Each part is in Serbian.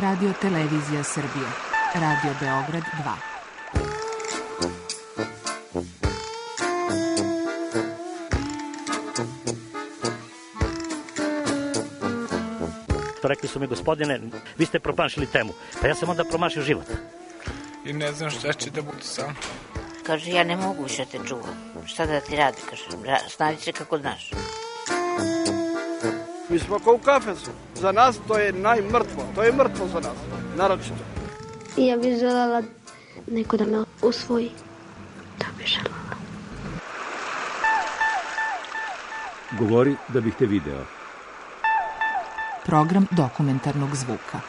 Radio Televizija Srbije. Radio Beograd 2. Rekli su mi, gospodine, vi ste promašili temu. Pa ja sam onda promašio život. I ne znam šta će da bude sam. Kaže, ja ne mogu više te čuvam. Šta da ti radi? Kaže, snađi se kako znaš. Mi smo kao u kafesu. Za nas to je najmrtvo. To je mrtvo za nas. Naročito. Ja bih željela neko da me usvoji. Da bih željela. Govori da bih te video. Program dokumentarnog zvuka.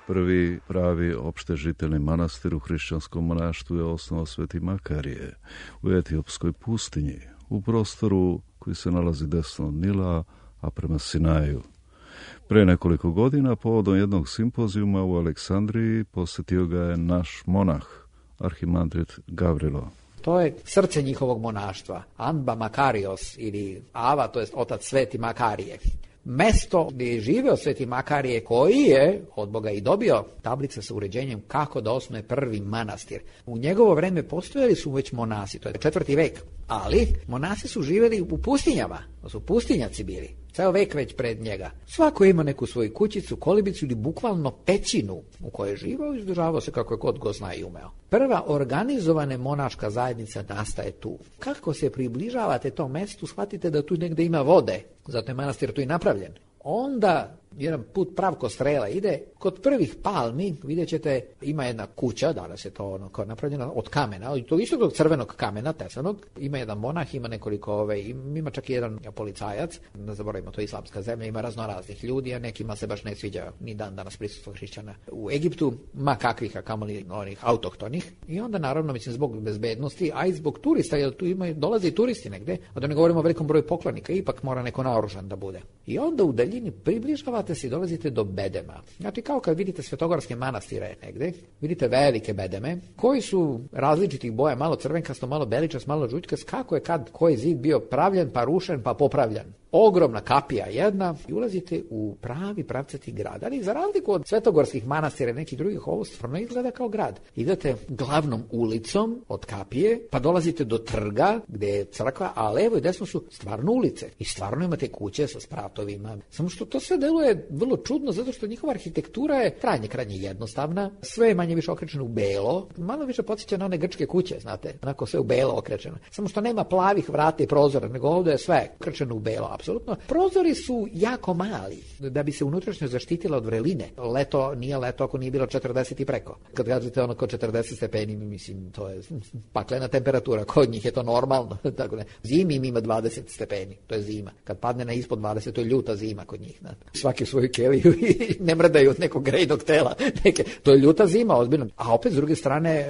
Prvi pravi opštežiteljni manastir u hrišćanskom monaštvu je osnovao Sveti Makarije u Etiopskoj pustinji, u prostoru koji se nalazi desno od Nila, a prema Sinaju. Pre nekoliko godina, povodom jednog simpozijuma u Aleksandriji, posjetio ga je naš monah, arhimandrit Gavrilo. To je srce njihovog monaštva, Anba Makarios ili Ava, to je otac Sveti Makarije. Mesto gdje je živio Sveti Makarije, koji je od Boga i dobio tablice sa uređenjem kako da osnuje prvi manastir. U njegovo vreme postojali su već monasi, to je 4. vek, ali monasi su živjeli u pustinjama, to su pustinjaci bili, ceo vek već pred njega. Svako ima neku svoju kućicu, kolibicu ili bukvalno pećinu u kojoj je živao i izdržavao se kako je god go zna i umeo. Prva organizovana monaška zajednica nastaje tu. Kako se približavate tom mestu, shvatite da tu negde ima vode, zato je manastir tu i napravljen. Onda jedan put pravko strela ide, kod prvih palmi vidjet ćete ima jedna kuća, danas je to kao napravljena od kamena, i to isto od crvenog kamena, tesanog, ima jedan monah, ima nekoliko, ima čak i jedan policajac, ne zaboravimo, to je islamska zemlja, ima raznoraznih ljudi, a nekima se baš ne sviđa ni dan danas prisustvo hrišćana u Egiptu, ma kakvih, a kamoli onih autohtonih, i onda naravno, mislim, zbog bezbednosti, a i zbog turista, jer tu dolaze i turisti negde, a da ne govorimo o velikom broju poklonika, ipak mora neko naoružan da bude. I onda u daljini približavate se i dolazite do bedema. Znači, kao kad vidite svetogorske manastire negde, vidite velike bedeme, koji su različitih boja, malo crvenkasto, malo beličast, malo žućkast, kako je kad koji zid bio pravljen, pa rušen, pa popravljan. Ogromna kapija jedna i ulazite u pravi pravcati grad. Ali za razliku od svetogorskih manastira i nekih drugih, ovo stvarno izgleda kao grad. Idete glavnom ulicom od kapije, pa dolazite do trga gdje je crkva, a levo i desno su stvarno ulice. I stvarno imate kuće sa spratovima. Samo što to sve deluje vrlo čudno, zato što njihova arhitektura je krajnje jednostavna. Sve je manje više okrečeno u belo. Malo više podsjeća na one grčke kuće, znate. Onako sve u belo okrečeno. Samo što nema plavih vrata i prozora, nego ovdje je sve okrečeno u belo. Apsolutno. Prozori su jako mali, da bi se unutrašnje zaštitila od vreline. Leto nije leto ako nije bilo 40 i preko. Kad gledate ono kod 40 stepeni, mislim, to je paklena temperatura. Kod njih je to normalno. Tako ne. Zimi im ima 20 stepeni. To je zima. Kad padne na ispod 20, to je ljuta zima kod njih. Svaki svoju keliju i ne mrdaju od nekog grejnog tela. To je ljuta zima, ozbiljno. A opet, s druge strane,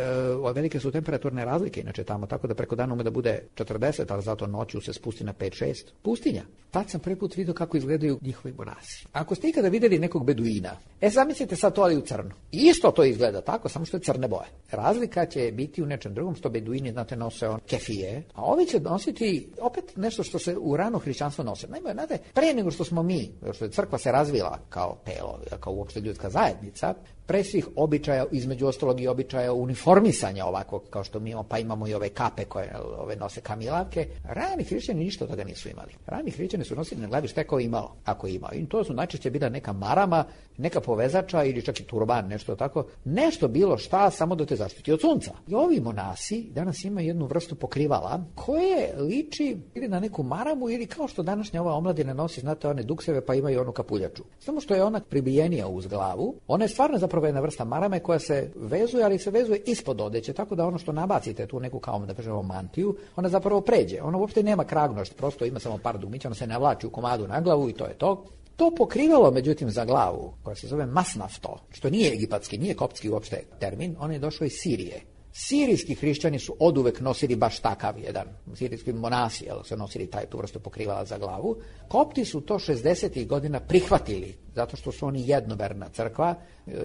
velike su temperaturne razlike, inače tamo, tako da preko dana ume da bude 40, ali zato noću se spusti na 5-6. Pustinja. Tad sam prvi put vidio kako izgledaju njihovi monasi. Ako ste ikada vidjeli nekog beduina, zamislite sad to ali u crno. Isto to izgleda tako, samo što je crne boje. Razlika će biti u nečem drugom, što beduini, znate, nose kefije, a ovi će nositi opet nešto što se u rano hrišćanstvo nose. Naime, znate, pre nego što smo mi, što je crkva se razvila kao telo, kao uopšte ljudska zajednica, pre svih običaja, između ostalog i običaja uniformisanja ovakvog, kao što mi imamo, pa imamo i ove kape koje nose kamilavke, rani hrišćani ništa od toga nisu imali. Rani hrišćani su nosili na glavi šta je ko imao, ako je imao. I to su najčešće bila neka marama, neka povezača ili čak i turban, nešto tako, nešto bilo šta samo da te zaštiti od sunca. I ovi monasi danas imaju jednu vrstu pokrivala koje liči ili na neku maramu ili kao što današnja ova omladina nosi, znate, one dukseve pa imaju onu kapuljaču. Samo što je ona pribijenija uz glavu, ona je stvarno zapravo jedna vrsta marame koja se vezuje, ali se vezuje ispod odeće, tako da ono što nabacite tu neku kao da kažemo mantiju, ona zapravo pređe. Ona uopšte nema kragnošt, prosto ima samo par dugmića, ona se navlači u komadu na glavu i to je to. To pokrivalo, međutim, za glavu, koja se zove masnafto, što nije egipatski, nije koptski uopšte termin, on je došao iz Sirije. Sirijski hrišćani su oduvek nosili baš takav jedan, sirijski monasi, su nosili tu vrstu pokrivala za glavu. Kopti su to 60. godina prihvatili, zato što su oni jednoverna crkva,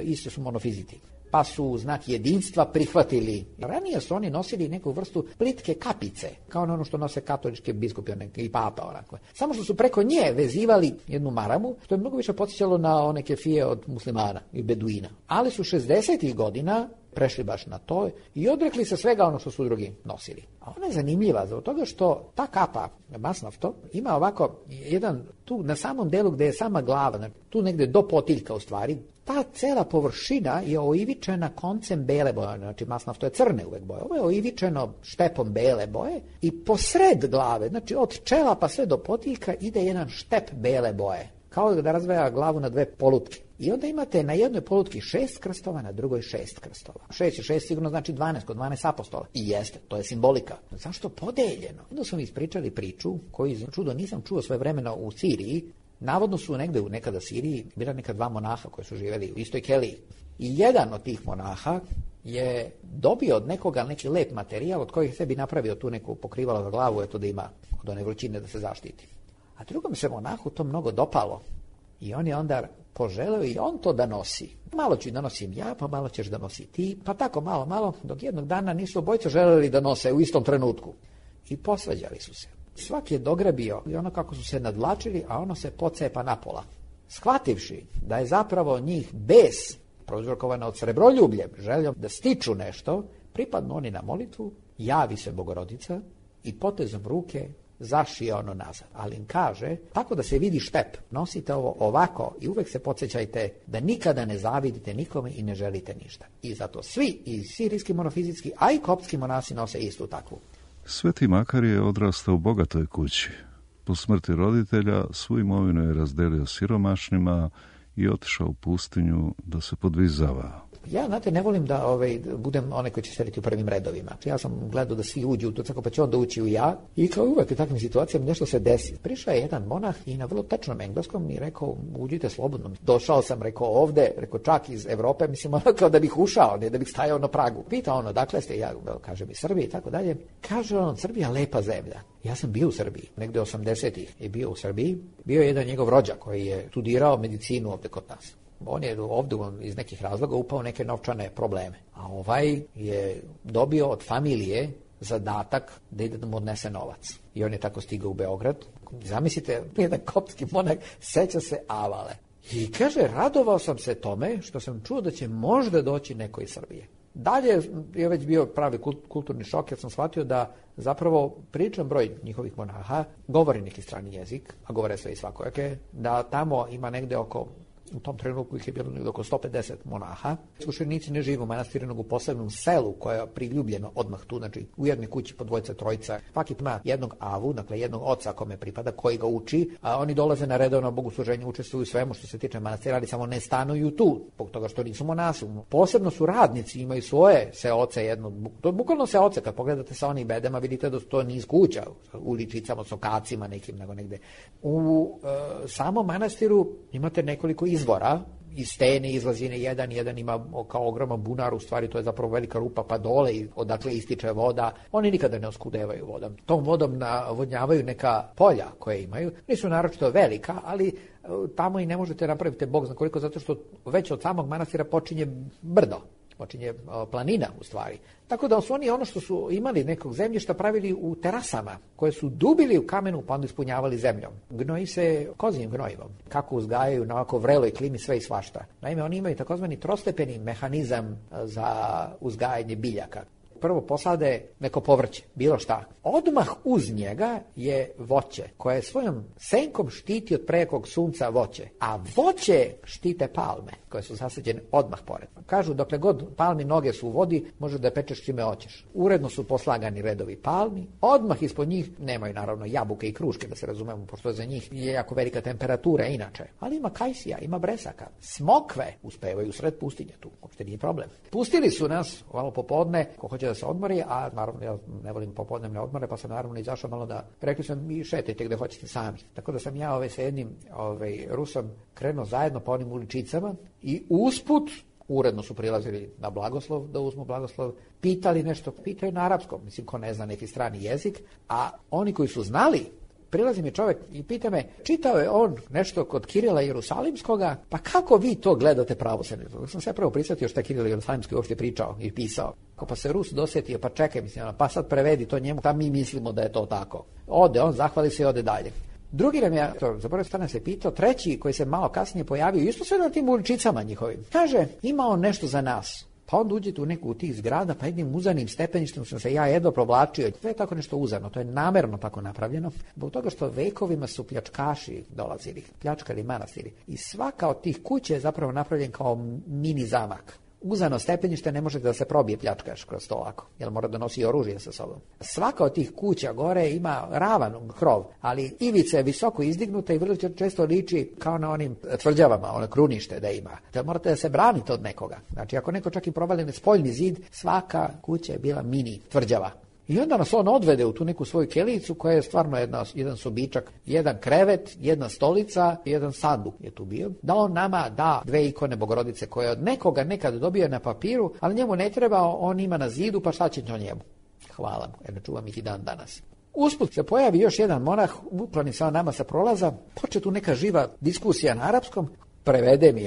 isto su monofiziti. pa su u znak jedinstva prihvatili. Ranije su oni nosili neku vrstu plitke kapice, kao ono što nose katoličke biskupi i papa. Onako. Samo što su preko nje vezivali jednu maramu, što je mnogo više podsjećalo na one kefije od muslimana i beduina. Ali su 60-ih godina prešli baš na to i odrekli se svega ono što su drugi nosili. A ona je zanimljiva zbog toga što ta kapa, masnafto, ima ovako jedan, tu na samom delu gde je sama glava, znači, tu negde do potiljka u stvari, ta cela površina je oivičena koncem bele boje, znači masnafto je crne uvek boje, ovo je oivičeno štepom bele boje i posred glave, znači od čela pa sve do potiljka ide jedan štep bele boje, kao da razvaja glavu na dve polutke. I onda imate na jednoj polutki 6 krstova, na drugoj 6 krstova. 6 i 6 sigurno znači 12, kod 12 apostola. I jeste, to je simbolika. Zašto podeljeno? Onda su mi ispričali priču koju čudo nisam čuo svoje vremena u Siriji. Navodno su negde u nekada Siriji bila neka dva monaha koji su živjeli u istoj keliji. I jedan od tih monaha je dobio od nekoga neki lep materijal od kojih sebi napravio tu neku pokrivalo za glavu, eto da ima od one vrućine da se zaštiti. A drugom se monahu to mnogo dopalo. I on je onda poželeo i on to da nosi. Malo ću da nosim ja, pa malo ćeš da nosi ti, pa tako malo, dok jednog dana nisu obojica želeli da nose u istom trenutku. I posvađali su se. Svaki je dograbio i ono kako su se nadvlačili, a ono se pocepa napola. Shvativši da je zapravo njih bes, prouzrokovana od srebroljubljem, željom da stiču nešto, pripadnu oni na molitvu, javi se Bogorodica i potezom ruke zašije ono nazad. Ali im kaže, tako da se vidi štep, nosite ovo ovako i uvek se podsjećajte da nikada ne zavidite nikome i ne želite ništa. I zato svi, i sirijski monofizitski, a i koptski monasi nose istu takvu. Sveti Makarije je odrastao u bogatoj kući. Po smrti roditelja svu imovinu je razdelio siromašnima i otišao u pustinju da se podvizava. Ja, znate, ne volim da budem onaj koji će sediti u prvim redovima. Ja sam gledao da svi uđu u to, tako pa će onda ući u ja. I kao uvek u takvim situacijama nešto se desi. Prišao je jedan monah i na vrlo tečnom engleskom mi rekao, uđite slobodno. Došao sam, rekao ovde, rekao čak iz Evrope, mislim ono kao da bih ušao, ne da bih stajao na pragu. Pita ono, dakle ste, ja kažem iz Srbije i tako dalje. Kaže on, Srbija lepa zemlja. Ja sam bio u Srbiji, negde 80-ih je bio u Srbiji. Bio je jedan njegov rođak koji je studirao medicinu ovde kod nas. On je ovdje iz nekih razloga upao neke novčane probleme. A ovaj je dobio od familije zadatak da ide da mu odnese novac. I on je tako stigao u Beograd. Zamislite, jedan koptski monah seća se Avale. I kaže, radovao sam se tome što sam čuo da će možda doći neko iz Srbije. Dalje je već bio pravi kulturni šok jer sam shvatio da zapravo pričam broj njihovih monaha, govori neki strani jezik, a govore sve i svakojake, da tamo ima negde oko, u tom trenutku ih je bilo negde oko 150 monaha. Iskušenici ne žive u manastiru, nego u posebnom selu koje je priljubljeno odmah tu, znači u jednoj kući po dvojica, trojica. Svaki ima jednog avu, dakle jednog oca kome pripada, koji ga uči, a oni dolaze na redovno bogosluženje, učestvuju u svemu što se tiče manastira, ali samo ne stanuju tu, zbog toga što nisu monasi. Posebno su radnici, imaju svoje seoce, jedno, to je bukvalno seoce, kad pogledate sa onih bedema, vidite da to niz kuća, uličicama, sokacima nekim, nego negde. U samom manastiru imate nekoliko izvora, iz stene izlazi jedan ima kao ogroman bunar, u stvari to je zapravo velika rupa pa dole i odakle ističe voda. Oni nikada ne oskudevaju vodom. Tom vodom navodnjavaju neka polja koje imaju. Nisu naročito velika, ali tamo i ne možete napraviti Bog zna koliko, zato što već od samog manastira počinje brdo. Počinje planina u stvari. Tako da su oni ono što su imali nekog zemljišta pravili u terasama koje su dubili u kamenu pa onda ispunjavali zemljom. Gnoji se kozijim gnojivom. Kako uzgajaju na ovako vreloj klimi sve i svašta. Naime, oni imaju takozvani trostepeni mehanizam za uzgajanje biljaka. Prvo posade neko povrće, bilo šta. Odmah uz njega je voće, koje svojom senkom štiti od prejekog sunca voće. A voće štite palme, koje su zasađene odmah pored. Kažu, dokle god palmi noge su u vodi, može da pečeš čime hoćeš. Uredno su poslagani redovi palmi, odmah ispod njih nemaju naravno jabuke i kruške, da se razumemo, pošto za njih je jako velika temperatura inače. Ali ima kajsija, ima bresaka. Smokve uspevaju sred pustinje tu, uopšte nije problem. Pustili su nas malo popodne, ko hoće da se odmori, a naravno ja ne volim popodnevne odmore, pa sam naravno izašao malo da, rekli sam mi šetajte gde hoćete sami. Tako da sam ja sa jednim Rusom krenuo zajedno po onim uličicama i usput uredno su prilazili na blagoslov, da uzmu blagoslov, pitali nešto, pitaju na arapskom, mislim ko ne zna neki strani jezik, a oni koji su znali prilazi mi čovjek i pita me, čitao je on nešto kod Kirila Jerusalimskoga, pa kako vi to gledate pravoslavlje? Sam se prvo prisjetio što je Kiril Jerusalimski uopšte pričao i pisao. Pa se Rus dosjetio, pa čekaj, mislim, pa sad prevedi to njemu, pa mi mislimo da je to tako. Ode, on zahvali se i ode dalje. Drugi nam je, zaboravio strane se pitao, treći koji se malo kasnije pojavio, isto sve na tim uličicama njihovim. Kaže, ima on nešto za nas. Pa onda uđete u neku od tih zgrada, pa jednim uzanim stepeništem sam se ja jedno provlačio. To je tako nešto uzano, to je namerno tako napravljeno. Zbog toga što vekovima su pljačkaši dolazili, pljačkali manastiri. I svaka od tih kuća je zapravo napravljen kao mini zamak. Uzano stepenište ne možete da se probije pljačkaš kroz to ovako, jer mora da nosi oružje sa sobom. Svaka od tih kuća gore ima ravan krov, ali ivica je visoko izdignuta i vrlo često liči kao na onim tvrđavama, ono krunište da ima. Da morate da se branite od nekoga. Znači, ako neko čak i provali spoljni zid, svaka kuća je bila mini tvrđava. I onda nas on odvede u tu neku svoju kelijicu koja je stvarno jedan sobičak, jedan krevet, jedna stolica, jedan sanduk je tu bio. Da on nama da 2 ikone Bogorodice koje od nekoga nekad dobio na papiru, ali njemu ne treba, on ima na zidu, pa šta će to njemu? Hvala mu, jer ne čuvam ih i dan danas. Usput se pojavi još jedan monah, ukloni se on nama sa prolaza, počne tu neka živa diskusija na arapskom. Prevede mi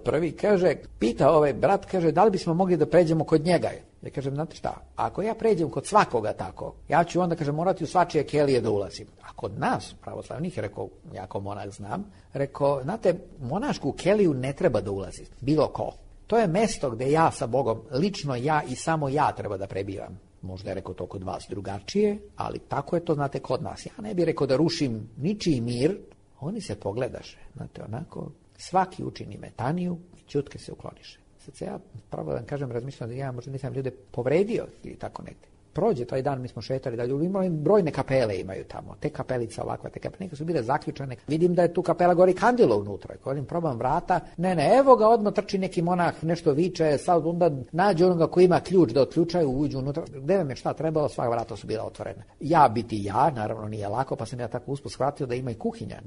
prvi, kaže, pita brat, kaže, da li bismo mogli da pređemo kod njega? Ja kažem, znate šta, ako ja pređem kod svakoga tako, ja ću onda, kaže, morati u svačije kelije da ulazim. A kod nas, pravoslavnih, rekao, ja kao monah znam, rekao, znate, monašku keliju ne treba da ulazi, bilo ko. To je mesto gde ja sa Bogom, lično ja i samo ja treba da prebivam. Možda je rekao to kod vas drugačije, ali tako je to, znate, kod nas. Ja ne bih rekao da rušim ničiji mir, oni se pogledaše, znate, onako, svaki učini metaniju i ćutke se ukloniše. Sad se ja, pravo da vam kažem, razmišljam da ja možda nisam ljude povredio ili tako negdje. Prođe taj dan, mi smo šetali dalje, imali brojne kapele imaju tamo, te kapelice ovakve, te kapele, neke su bile zaključane. Vidim da je tu kapela gori kandilo unutra, kodim probam vrata, ne, evo ga, odmah trči neki monah, nešto viče, sad onda nađe onoga koji ima ključ da otključaju, uđu unutra, gde vam je šta trebalo, sva vrata su bila otvorena. Ja biti ja, naravno nije lako, pa sam ja tako usput shvatio da ima i kuhinja,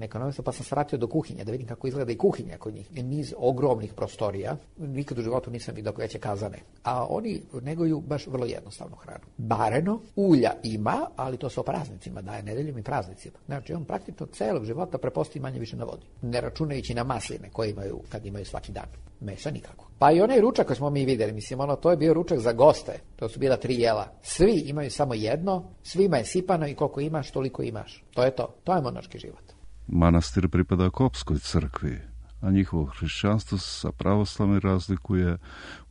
pa sam svratio do kuhinje, da vidim kako izgleda i kuhinja kod njih. Niz ogromnih prostorija, nikad u životu nisam vidio veće kazane, a oni neguju baš vrlo jednostavnu hranu. Bareno, ulja ima, ali to se o praznicima daje, nedeljom i praznicima. Znači, on praktično celog života preposti manje više na vodi. Ne računajući na masline koje imaju kad imaju svaki dan. Mesa nikako. Pa i onaj ručak koji smo mi vidjeli, mislim, to je bio ručak za goste. To su bila 3 jela. Svi imaju samo jedno, svima je sipano i koliko imaš, toliko imaš. To je to. To je monaški život. Manastir pripada Kopskoj crkvi, a njihovo hrišćanstvo sa pravoslavnim razlikuje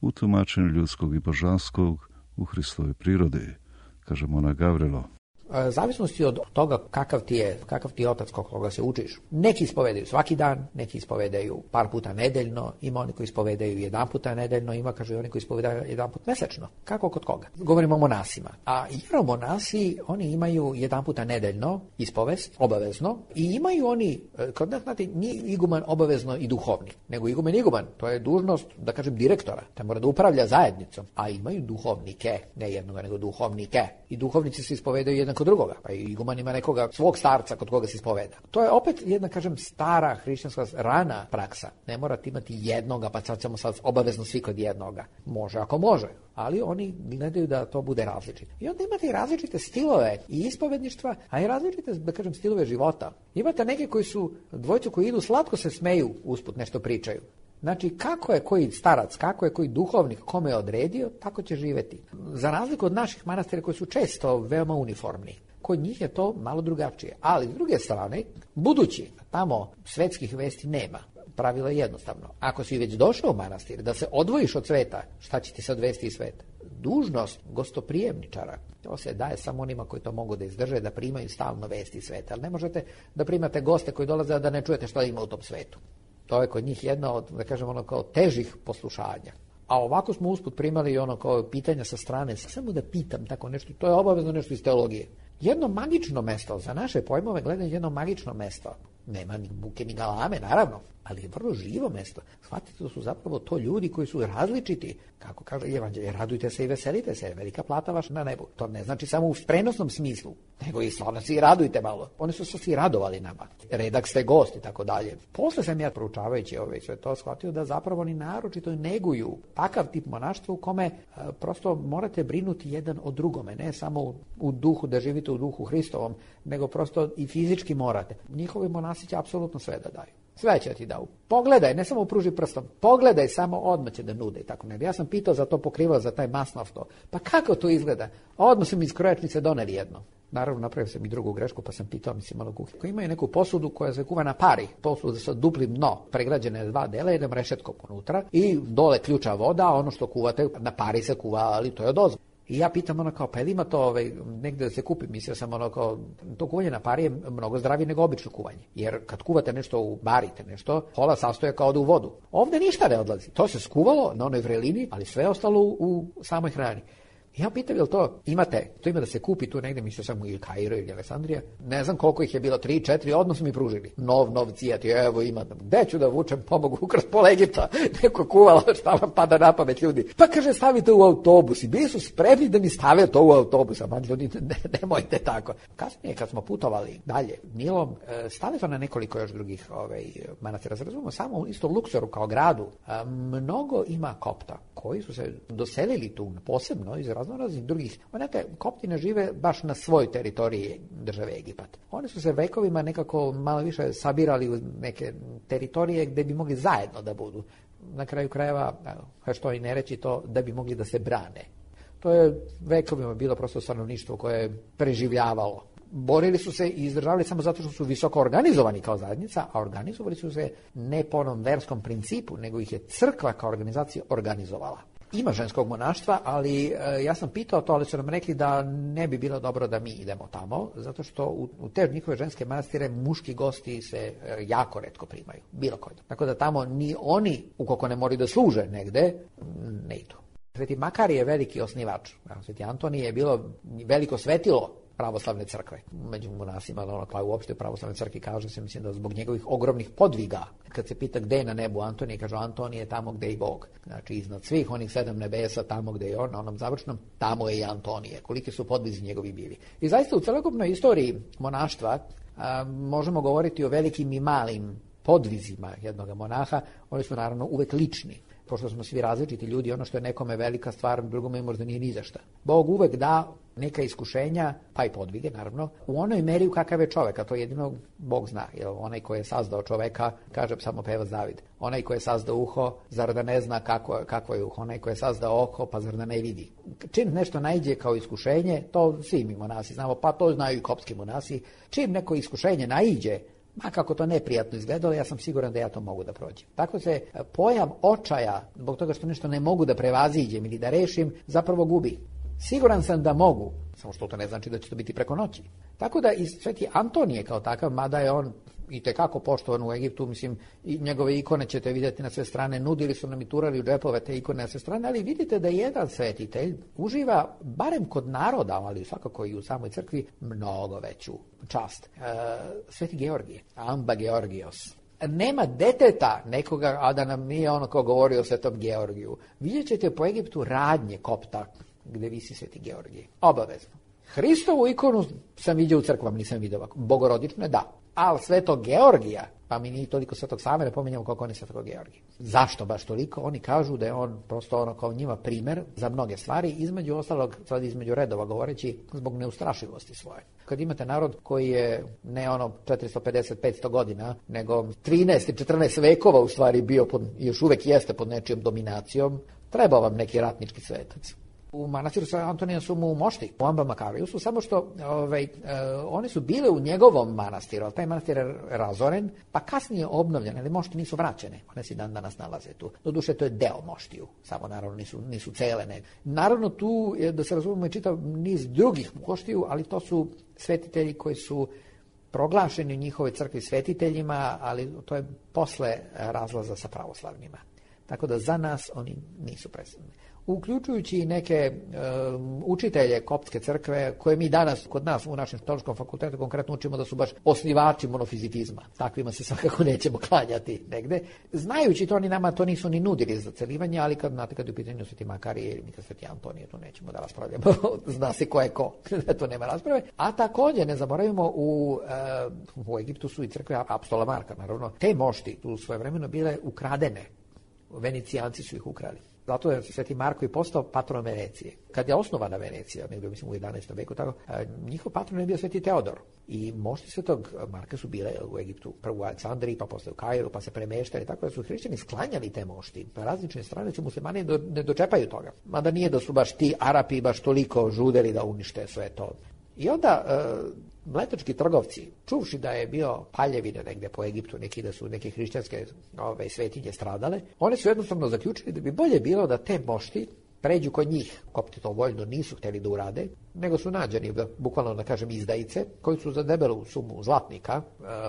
u tumačenju ljudskog i božanskog u Hristovoj prirodi, kaže monah Gavrilo. Zavisnosti od toga kakav ti je otac koga se učiš. Neki ispovedaju svaki dan, neki ispovedaju par puta nedeljno, ima oni koji ispovedaju 1 puta nedeljno, ima, kaže, oni koji ispovedaju 1 put mesečno. Kako kod koga? Govorimo o monasima. A jeromonasi, oni imaju 1 puta nedeljno ispovest, obavezno, i imaju oni, kod nas, znate, nije iguman obavezno i duhovnik, nego iguman, to je dužnost, da kažem, direktora, te mora da upravlja zajednicom, a imaju duhovnike, ne jednoga, nego duhovnike. I duhovnici se ispovedaju jedan kod drugoga, pa i iguman ima nekoga svog starca kod koga se ispoveda. To je opet jedna, kažem, stara hrišćanska rana praksa. Ne morate imati jednoga, pa sad ćemo sad obavezno svi kod jednoga. Može ako može, ali oni gledaju da to bude različito. I onda imate i različite stilove i ispovedništva, a i različite, da kažem, stilove života. Imate neke koji su, dvojcu koji idu slatko se smeju, usput nešto pričaju. Znači, kako je koji starac, kako je koji duhovnik kome je odredio, tako će živjeti. Za razliku od naših manastira koji su često veoma uniformni, kod njih je to malo drugačije. Ali, s druge strane, budući tamo svetskih vesti nema, pravilo je jednostavno. Ako si već došao u manastir, da se odvojiš od sveta, šta će ti se odvesti iz sveta? Dužnost gostoprijemničara, to se daje samo onima koji to mogu da izdrže, da primaju stalno vesti iz sveta. Ali ne možete da primate goste koji dolaze da ne čujete šta ima u tom svetu. To je kod njih jedna od, da kažem, kao težih poslušanja. A ovako smo usput primali kao pitanja sa strane, samo da pitam tako nešto, to je obavezno nešto iz teologije. Jedno magično mesto, za naše pojmove gledaju jedno magično mesto. nema ni buke ni galame, naravno, ali je vrlo živo mesto. Shvatite da su zapravo to ljudi koji su različiti. Kako kaže Evanđelje, radujte se i veselite se, velika plata vaša na nebu. To ne znači samo u prenosnom smislu, nego i stvarno se i radujte malo. Oni su se svi radovali nama. Redak ste gost i tako dalje. Posle sam ja proučavajući sve to shvatio da zapravo oni naročito neguju takav tip monaštva u kome prosto morate brinuti jedan o drugome, ne samo u duhu, da živite u duhu Hristovom, nego prosto i fizički morate. Njihovi monasi će apsolutno sve da daju. Sve će ti dao. Pogledaj, ne samo pruži prstom, pogledaj, samo odmah će da nude i tako ne. Ja sam pitao za to pokrivalo, za taj masnov to. Pa kako to izgleda? Odmah su mi iz krojačnice doneli jedno. Naravno, napravio sam i drugu grešku, pa sam pitao, malo kuhinje. Koji imaju neku posudu koja se kuva na pari, posudu sa duplim dno, pregrađene 2 dela, jednom rešetkom unutra i dole ključa voda, ono što kuvate na pari se kuva, ali to je odozgo. I ja pitam pa ima to negde da se kupi, mislio sam to kuvanje na pari je mnogo zdravije nego obično kuvanje. Jer kad kuvate nešto, barite nešto, pola sastoje kao da u vodu. Ovde ništa ne odlazi. To se skuvalo na onoj vrelini, ali sve je ostalo u samoj hrani. Ja pitam, jel to imate, to ima da se kupi tu negde, mislio sam ili Kairo ili Aleksandrija, ne znam koliko ih je bilo, 3-4, odmah su mi pružili. Nov cijat, evo ima, gde ću da vučem, pomogu ukrast pola Egipta, neko kuvalo, šta vam pada na pamet ljudi. Pa kaže, stavite u autobus i bili su spremni da mi stave to u autobus, a ljudi, nemojte tako. Kasnije, kad smo putovali dalje Nilom, stali smo na nekoliko još drugih manastira, razumemo, samo isto u Luksoru kao gradu, mnogo ima Kopta koji su se doselili tu posebno iz raznih drugih. Onaka, Kopti ne žive baš na svojoj teritoriji države Egipat. Oni su se vekovima nekako malo više sabirali u neke teritorije gde bi mogli zajedno da budu. Na kraju krajeva, što i ne reći to, da bi mogli da se brane. To je vekovima bilo prosto stanovništvo koje je preživljavalo. Borili su se i izdržavali samo zato što su visoko organizovani kao zajednica, a organizovali su se ne po onom verskom principu, nego ih je crkva kao organizacija organizovala. Ima ženskog monaštva, ali ja sam pitao to, ali su nam rekli da ne bi bilo dobro da mi idemo tamo, zato što u te njihove ženske manastire muški gosti se jako retko primaju, bilo koji. Tako da tamo ni oni, ukoliko ne moraju da služe negde, ne idu. Sveti Makarije je veliki osnivač. Sveti Antonije je bilo veliko svetilo pravoslavne crkve. Među monasima, uopšte pravoslavne crkvi kaže se, mislim da zbog njegovih ogromnih podviga. Kad se pita gde je na nebu Antonije, kaže Antonije je tamo gde je i Bog. Znači iznad svih onih 7 nebesa, tamo gde je on, na onom završnom, tamo je i Antonije. Koliki su podvizi njegovi bili. I zaista u celokupnoj istoriji monaštva možemo govoriti o velikim i malim podvizima jednog monaha. Oni su naravno uvek lični. Pošto smo svi različiti ljudi, ono što je nekome velika stvar, drugome možda nije ni za šta. Bog uvek da neka iskušenja, pa i podvige, naravno, u onoj meri u kakav je čovek, a to jedino Bog zna. Jer onaj koji je sazdao čoveka, kaže samo pevac David, onaj koji je sazdao uho, zar da ne zna kakvo je uho, onaj koji je sazdao oko, pa zar da ne vidi. Čim nešto naiđe kao iskušenje, to svi mi monasi znamo, pa to znaju i kopski monasi, čim neko iskušenje naiđe, ma kako to neprijatno izgledalo, ja sam siguran da ja to mogu da prođem. Tako se pojam očaja, zbog toga što nešto ne mogu da prevaziđem ili da rešim, zapravo gubi. Siguran sam da mogu, samo što to ne znači da će to biti preko noći. Tako da i Sveti Antonije kao takav, mada je on itekako poštovan u Egiptu, mislim, i njegove ikone ćete vidjeti na sve strane, nudili su nam i turali u džepove te ikone na sve strane, ali vidite da jedan svetitelj uživa, barem kod naroda, ali svakako i u samoj crkvi, mnogo veću čast. Sveti Georgije, Amba Georgijos. Nema deteta nekoga, a da nam nije ono ko govori o Svetom Georgiju. Vidjet ćete po Egiptu radnje Kopta, gde visi Sveti Georgije. Obavezno. Hristovu ikonu sam vidio u crkvama, nisam vidio ovako. Bogorodične, da. Ali Svetog Georgija, pa mi nije toliko Svetog Save, ne pominjamo koliko on je Svetog Georgija. Zašto baš toliko? Oni kažu da je on prosto ono kao njima primer za mnoge stvari, između ostalog, sad između redova govoreći, zbog neustrašivosti svoje. Kad imate narod koji je ne ono 450-500 godina, nego 13-14 vekova u stvari bio, još uvek jeste pod nečijom dominacijom, treba vam neki ratnički svetac. U manastiru sa Antonija su mu mošti, u Amba Makariju su, samo što oni su bile u njegovom manastiru, ali taj manastir je razoren, pa kasnije obnovljen, ali mošti nisu vraćene, one se dan danas nalaze tu. Doduše, to je deo moštiju, samo naravno nisu cele. Ne. Naravno tu, da se razumemo, je čitav niz drugih moštiju, ali to su svetitelji koji su proglašeni u njihovoj crkvi svetiteljima, ali to je posle razlaza sa pravoslavnima. Tako da za nas oni nisu predstavljeni. uključujući i neke učitelje koptske crkve, koje mi danas kod nas u našem teološkom fakultetu konkretno učimo da su baš osnivači monofizitizma. Takvima se svakako nećemo klanjati negde. Znajući to, oni nama to nisu ni nudili za celivanje, ali kad je u pitanju Sveti Makarije ili Sveti Antonije, to nećemo da raspravljamo. Zna se ko je ko, to nema rasprave. A također, ne zaboravimo, u Egiptu su i crkve apostola Marka, naravno. Te mošti u svoje vremeno bile ukradene. Venecijanci su ih ukrali. Zato je Sveti Marko i postao patron Venecije. Kad je osnovana Venecija, negdje mislim u 11. veku, tako, njihov patron je bio Sveti Teodor. I mošti Svetog Marka su bile u Egiptu, prvo u Aleksandriji, pa posle u Kairu, pa se premeštali, tako da su hrišćani sklanjali te mošti. Na različne strane se muslimani ne dočepaju toga. Mada nije da su baš ti Arapi baš toliko žudeli da unište sve to. I onda mletački trgovci, čuvši da je bio paljevine negdje po Egiptu, da su neke hrišćanske svetinje stradale, oni su jednostavno zaključili da bi bolje bilo da te mošti pređu kod njih. Kopti to voljno nisu htjeli da urade, nego su nađeni, bukvalno da kažem, izdajice, koji su za debelu sumu zlatnika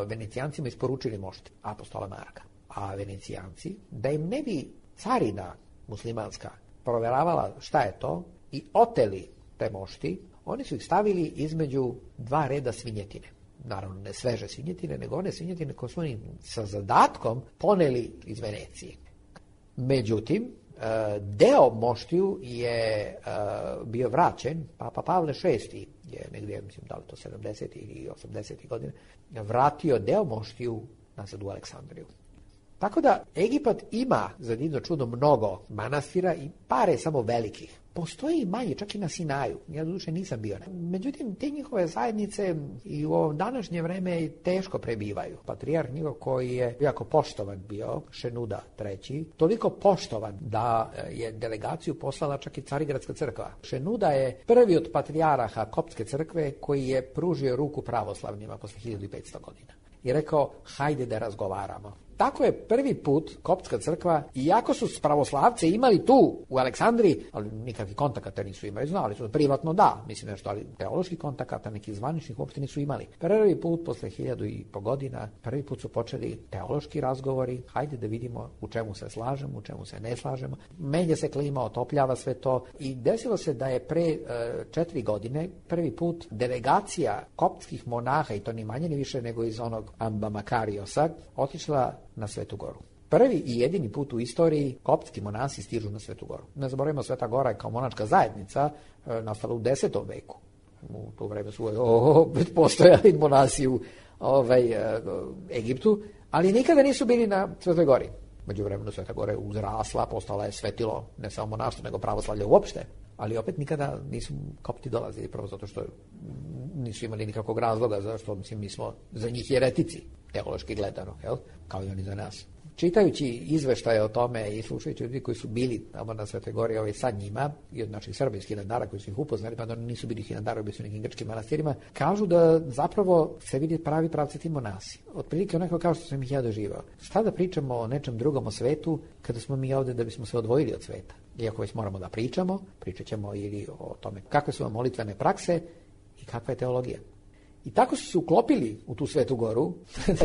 Venecijancima isporučili mošti apostola Marka. A Venecijanci, da im ne bi carina muslimanska provjeravala šta je to i oteli te mošti, oni su ih stavili između dva reda svinjetine. Naravno, ne sveže svinjetine, nego one svinjetine koje su oni sa zadatkom poneli iz Venecije. Međutim, deo moštiju je bio vraćen, Papa Pavle VI je negdje, mislim, da li to 70. ili 80. godine, vratio deo moštiju nazad u Aleksandriju. Tako da Egipat ima za divno čudo mnogo manastira i pare samo velikih. Postoji i manje, čak i na Sinaju. Ja doduše nisam bio. Međutim, te njihove zajednice i u ovo današnje vreme teško prebivaju. Patrijarh njihov, koji je jako poštovan bio, Šenuda III, toliko poštovan da je delegaciju poslala čak i Carigradska crkva. Šenuda je prvi od patrijaraha koptske crkve koji je pružio ruku pravoslavnima posle 1500 godina. I rekao, hajde da razgovaramo. Tako je prvi put koptska crkva, iako su pravoslavce imali tu u Aleksandriji, ali nikakvih kontakata nisu imali, znali su privatno da, mislim nešto, ali teoloških kontakata, nekih zvaničnih uopšte nisu imali. Prvi put posle 1500 godina, prvi put su počeli teološki razgovori, hajde da vidimo u čemu se slažemo, u čemu se ne slažemo. Menja se klima, otopljava sve to i desilo se da je pre 4 godine prvi put delegacija koptskih monaha, i to ni manje ni više nego iz onog Amba Makariosa, otišla na Svetu Goru. Prvi i jedini put u istoriji koptski monasi stižu na Svetu Goru. Ne zaboravimo, Sveta Gora je kao monačka zajednica nastala u 10. veku. U to vreme su već postojali monasi u Egiptu, ali nikada nisu bili na Svetoj Gori. Međuvremenu Sveta Gora je uzrasla, postala je svetilo ne samo monaštvo, nego pravoslavlje uopšte. Ali opet nikada nisu kopti dolazili, prvo zato što nisu imali nikakvog razloga, zašto mi smo za njih jeretici, teološki gledano, jel? Kao i oni za nas. Čitajući izveštaje o tome i slušajući ljudi koji su bili tamo na Svetoj Gori sa njima, i od naših Srba iz Hilandara koji su ih upoznali, pa da oni nisu bili Hilandara, bili su nekim grčkim manastirima, kažu da zapravo se vidi pravi pravci ti monasi. Otprilike onako kao što sam ih ja doživao. Šta da pričamo o nečem drugom o svetu, kada smo mi ovdje da bismo se odvojili od sveta? Iako već moramo da pričamo, pričat ćemo ili o tome kakve su vam molitvene prakse i kakva je teologija. I tako su se uklopili u tu Svetu Goru,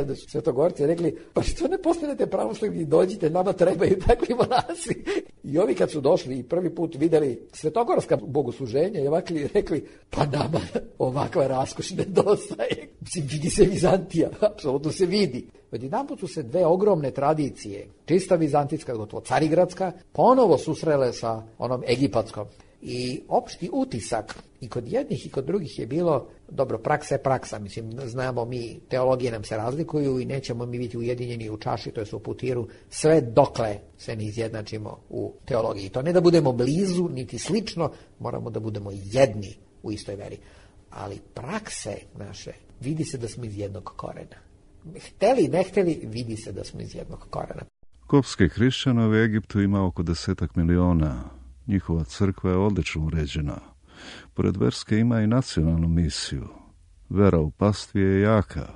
da su Svetogorci rekli, pa što ne postanete pravoslavni, dođite, nama trebaju takvi monasi. I ovi kad su došli i prvi put vidjeli svetogorska bogosluženja i ovakvi rekli, pa nama ovakva raskoš nedostaje. Mislim, vidi se Vizantija, apsolutno se vidi. Odjedanput su se dve ogromne tradicije, čista vizantijska, gotovo carigradska, ponovo susrele sa onom egipatskom. I opšti utisak i kod jednih i kod drugih je bilo, dobro, praksa je praksa, mislim, znamo mi, teologije nam se razlikuju i nećemo mi biti ujedinjeni u čaši, to je u putiru, sve dokle se ne izjednačimo u teologiji. To ne da budemo blizu, niti slično, moramo da budemo jedni u istoj veri. Ali prakse naše, vidi se da smo iz jednog korena. Hteli, ne hteli, vidi se da smo iz jednog korena. Koptskih hrišćana u Egiptu ima oko 10 miliona. Njihova crkva je odlično uređena. Pored verske ima i nacionalnu misiju. Vera u pastvi je jaka.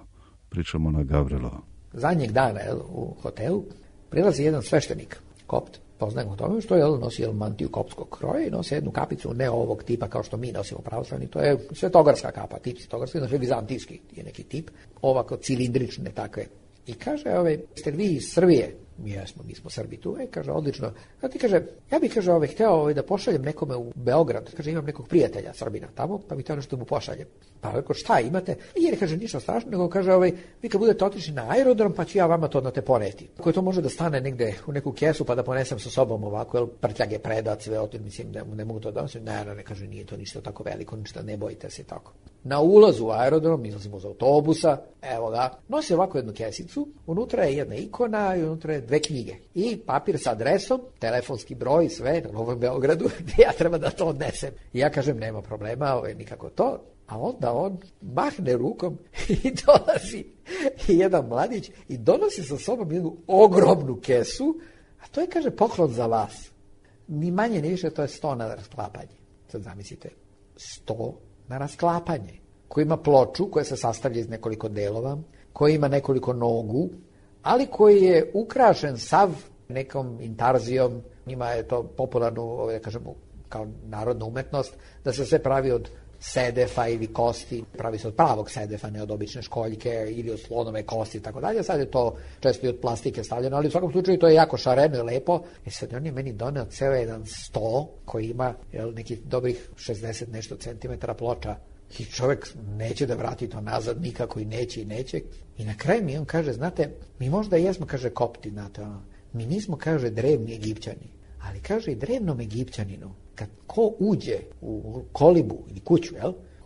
Pričamo na Gavrilo. Zadnjeg dana u hotelu prilazi jedan sveštenik, kopt, poznajem o tome, što nosi mantiju koptskog kroja i nosi jednu kapicu ne ovog tipa kao što mi nosimo pravoslavni. To je svetogorska kapa, tip svetogorski, znači vizantijski je neki tip, ovako cilindrične takve. I kaže, ste vi iz Srbije? mi smo Srbi tu. Kaže, odlično. A ti kaže, ja bih, kaže, hteo da pošaljem nekome u Beograd. Kaže, imam nekog prijatelja Srbina tamo, pa bih hteo nešto mu pošaljem. Pa rekao, šta imate? Jer kaže, ništa strašno, nego kaže, vi kad budete otišli na aerodrom, pa ću ja vama to odnate poneti. Koje to može da stane negde u neku kesu, pa da ponesem sa sobom ovako, jer prtljage predat, sve otim, mislim, ne mogu to donositi. Ne, kaže, nije to ništa tako veliko, ništa, ne bojite se tako. Na ulazu u aerodrom, izlazimo iz autobusa, evo ga, nosi ovako jednu kesicu, unutra je jedna ikona i unutra je 2 knjige. I papir sa adresom, telefonski broj, sve na Novom Beogradu, gdje ja treba da to odnesem. I ja kažem, nema problema, nikako to. A onda on mahne rukom i dolazi jedan mladić i donosi sa sobom jednu ogromnu kesu, a to je, kaže, poklon za vas. Ni manje ni više, to je 100 na rasklapanje. Sad zamislite, 100 na rasklapanje, koji ima ploču koja se sastavlja iz nekoliko delova, koji ima nekoliko nogu, ali koji je ukrašen sav nekom intarzijom. Njima je to popularno, da kažemo, kao narodna umetnost, da se sve pravi od sedefa ili kosti, pravi se od pravog sedefa, ne od obične školjke ili od slonove kosti i tako dalje. Sad je to često i od plastike stavljeno, ali u svakom slučaju to je jako šareno i lepo. Sad on je meni doneo ceo jedan sto koji ima nekih dobrih 60 nešto centimetara ploča i čovjek neće da vrati to nazad nikako i neće. I na kraju mi on kaže, znate, mi možda jesmo, kaže, Kopti, znate, mi nismo, kaže, drevni Egipćani, ali kaže i drevnom Egipćaninu kad ko uđe u kolibu ili kuću,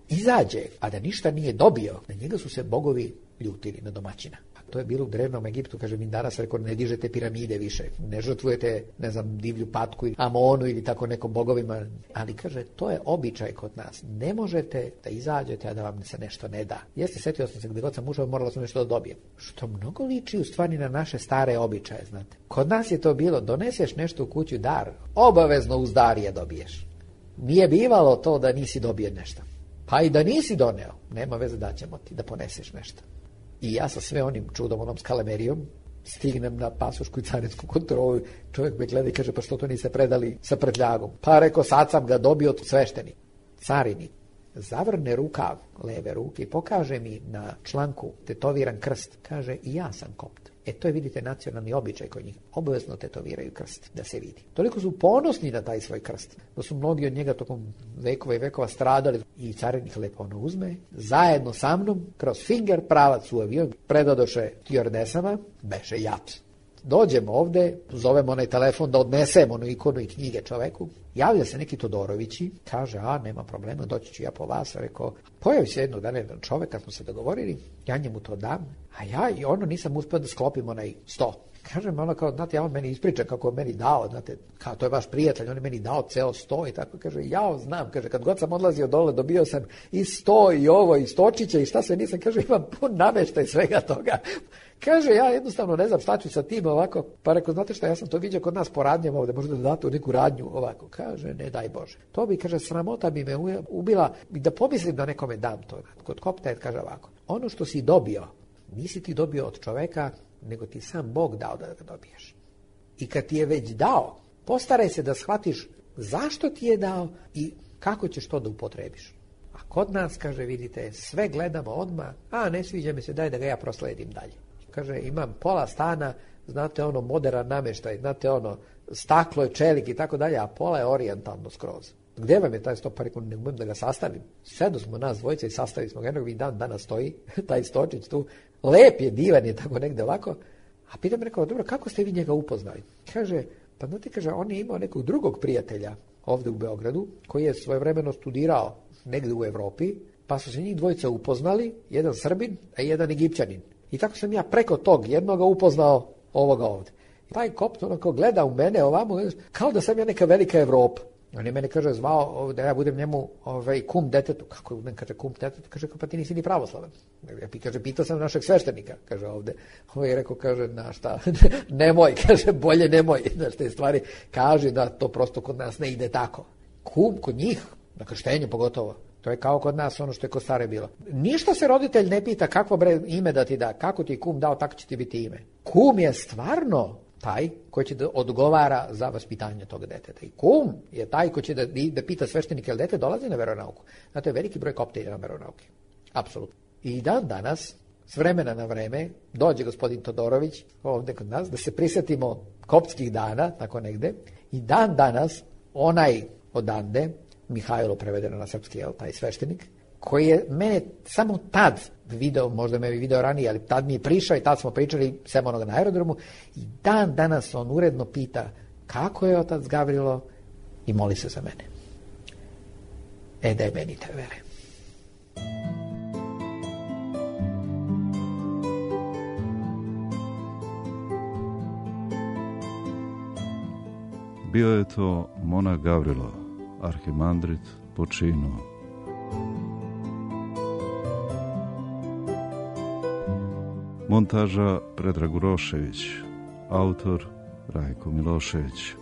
izađe, a da ništa nije dobio, na njega su se bogovi ljutili, na domaćina. A to je bilo u drevnom Egiptu, kaže, mi danas rekao, ne dižete piramide više, ne žrtvujete, ne znam, divlju patku ili Amonu ili tako nekom bogovima, ali kaže, to je običaj kod nas. Ne možete da izađete, a da vam se nešto ne da. Jeste, setio sam se, gdje god sam ušao, morala sam nešto da dobijem. Što mnogo liči u stvari na naše stare običaje, znate. Kod nas je to bilo, doneseš nešto u kuću, dar, obavezno uz dar je dobiješ. Nije bivalo to da nisi dobio nešto. Pa i da nisi doneo, nema veze, da ćemo ti da poneseš nešto. I ja sa sve onim čudom, onom skalamerijom, stignem na pasošku i carinsku kontrolu, čovjek me gleda i kaže, pa što to niste predali sa prtljagom? Pa rekao, sad sam ga dobio od sveštenika. Carinik zavrne rukav leve ruke i pokaže mi na članku tetoviran krst. Kaže, i ja sam Kopt. To je, vidite, nacionalni običaj kod njih. Obavezno tetoviraju krst, da se vidi. Toliko su ponosni na taj svoj krst, da su mnogi od njega tokom vekova i vekova stradali. I carinik lepo ono uzme, zajedno sa mnom, kroz finger pravac u avion, predadoše stjuardesama, beše jat. Dođemo ovde, zovemo onaj telefon da odnesemo onu ikonu i knjige čoveku. Javlja se neki Todorovići, kaže, nema problema, doći ću ja po vas. Rekao, pojavi se jednog dana jedan čovek, kad smo se dogovorili, ja njemu to dam, a ja i ono nisam uspio da sklopim onaj 100. Kažem, ono kao, znate, ja on meni ispriča kako je meni dao, znate, kao to je vaš prijatelj, on je meni dao ceo 100 i tako, kaže, ja znam, kaže, kad god sam odlazio dole, dobio sam i 100 i ovo, i stočiće i šta sve nisam, kaže, imam pun nameštaj svega toga. Kaže, ja jednostavno ne znam šta ću sa tim ovako, pa rekao, znate šta, ja sam to vidio kod nas po radnjama ovde, možda da date u neku radnju ovako. Kaže, ne daj Bože. To bi, kaže, sramota bi me ubila i da pomislim da nekome dam to. Kod Kopta kaže ovako, ono što si dobio, nisi ti dobio od čoveka, nego ti sam Bog dao da ga dobiješ. I kad ti je već dao, postaraj se da shvatiš zašto ti je dao i kako ćeš to da upotrebiš. A kod nas, kaže, vidite, sve gledamo odmah, ne sviđa mi se, daj da ga ja prosledim dalje. Kaže, imam pola stana, znate, ono, moderan namještaj, znate, ono, staklo je, čelik i tako dalje, a pola je orijentalno skroz. Gdje vam je taj sto? Pa rekao, ne umem da ga sastavim. Sedu smo nas dvojice i sastavili smo ga, jednog i dan danas stoji, taj stočić tu, lep je, divan je, tako negde ovako. A pitam, rekao, dobro, kako ste vi njega upoznali? Kaže, pa znate, kaže, on je imao nekog drugog prijatelja ovde u Beogradu, koji je svojevremeno studirao negde u Evropi, pa su se njih dvojica upoznali, jedan Srbin, a jedan Egipćanin. I tako sam ja preko tog jednoga upoznao ovoga ovde. Taj Kopt onako gleda u mene ovamo, kao da sam ja neka velika Evropa. On je mene, kaže, zvao da ja budem njemu kum detetu. Kako je, kaže, kum detetu? Kaže, pa ti nisi ni pravoslavan. Kaže, pitao sam našeg sveštenika, kaže ovde. Ovo je rekao, kaže, na šta, nemoj, kaže, bolje nemoj. Znaš, te stvari, kaže da to prosto kod nas ne ide tako. Kum kod njih, na krštenju pogotovo. To je kao kod nas ono što je kod stare bilo. Ništa se roditelj ne pita kakvo ime da ti da, kako ti kum dao, tako će ti biti ime. Kum je stvarno taj koji će da odgovara za vaspitanje tog deteta. I kum je taj koji će da pita sveštenika, jel dete dolazi na veronauku. Znate, veliki broj Kopta ide na veronauke. Apsolutno. I dan danas s vremena na vreme, dođe gospodin Todorović ovdje kod nas, da se prisjetimo koptskih dana, tako negde, i dan danas onaj odande, Mihajlo prevedeno na srpski, taj sveštenik, koji je mene samo tad video, možda me je video ranije, ali tad mi je prišao i tad smo pričali sem onoga na aerodromu, i dan danas on uredno pita kako je otac Gavrilo i moli se za mene. Daj meni te vere. Bio je to monah Gavrilo, arhimandrit po činu. Montaža Predrag Urošević, autor Rajko Milošević.